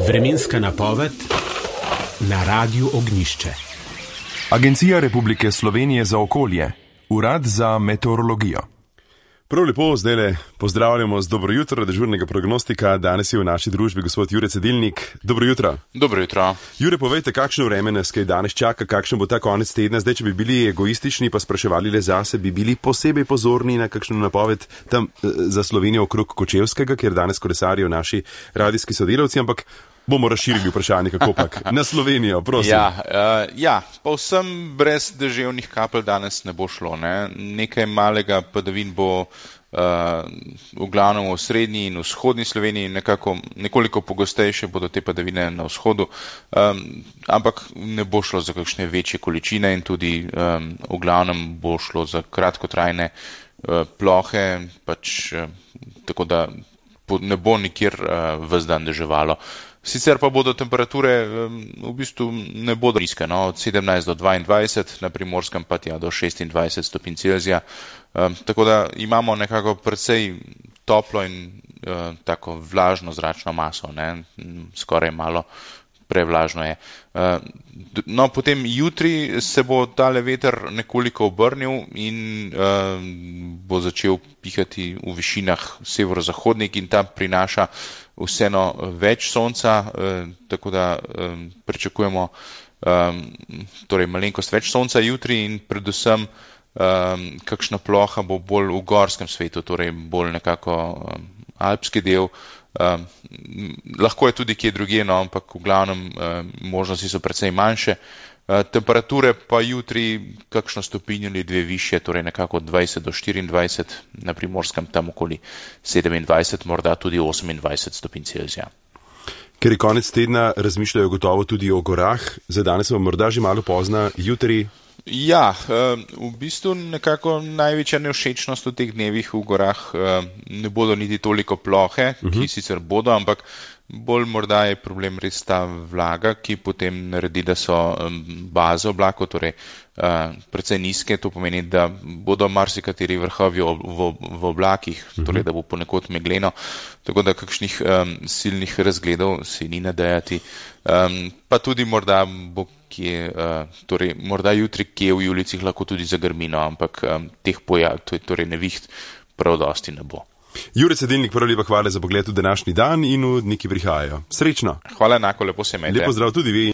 Vremenska napoved na Radiu Ognjišče. Agencija Republike Slovenije za okolje, Urad za meteorologijo. Prav lepo, zdajle pozdravljamo z dobro jutro dežurnega prognostika. Danes je v naši družbi gospod Jure Cedilnik. Dobro jutro. Dobro jutro. Jure, povejte, kakšno vreme nas kaj danes čaka, kakšen bo ta konec tedna. Zdaj, če bi bili egoistični pa spraševali le zase, bi bili posebej pozorni na kakšno napoved tam za Slovenijo okrog Kočevskega, kjer danes kolesarijo naši radijski sodelavci, ampak bomo razširili vprašanje, kako pak na Slovenijo, prosim. Povsem brez deževnih kapelj danes ne bo šlo. Nekaj malega padavin bo v glavnem v srednji in vzhodni Sloveniji, nekoliko pogostejše bodo te padavine na vzhodu, ampak ne bo šlo za kakšne večje količine in tudi v glavnem bo šlo za kratkotrajne plohe, tako da ne bo nikjer ves dan deževalo. Sicer pa bodo temperature v bistvu ne bodo nizke, od 17 do 22, na Primorskem pa do 26 stopinj Celzija. Tako da imamo nekako precej toplo in tako vlažno zračno maso, skoraj malo prevlažno je. Potem jutri se bo tale veter nekoliko obrnil in bo začel pihati v višinah severozahodnik in ta prinaša vseeno več sonca, tako da pričakujemo malenkost več sonca jutri in predvsem kakšna ploha bo bolj v gorskem svetu, torej bolj nekako alpski del. Lahko je tudi kje drugje, ampak v glavnem možnosti so precej manjše. Temperature pa jutri kakšno stopinjo ali dve višje, torej nekako 20 do 24, na Primorskem tam okoli 27, morda tudi 28 stopinj Celzija. Ker je konec tedna, razmišljajo gotovo tudi o gorah, za danes bo morda že malo pozna, jutri. V bistvu nekako največja nevšečnost v teh dnevih v gorah ne bodo niti toliko plohe, ki sicer bodo, ampak bolj morda je problem res ta vlaga, ki potem naredi, da so baze oblakov, torej precej nizke, to pomeni, da bodo marsikateri vrhovi v oblakih, torej da bo ponekod megleno, tako da kakšnih silnih razgledov si ni nadejati. Pa tudi morda bo morda jutri kje v Julijcih lahko tudi zagrmino, ampak teh torej neviht prav dosti ne bo. Jure Cedilnik, prav lepa hvala za pogled v današnji dan in v dni, ki prihajajo. Srečno! Hvala enako, lepo se imejte. Lepo zdrav tudi vi.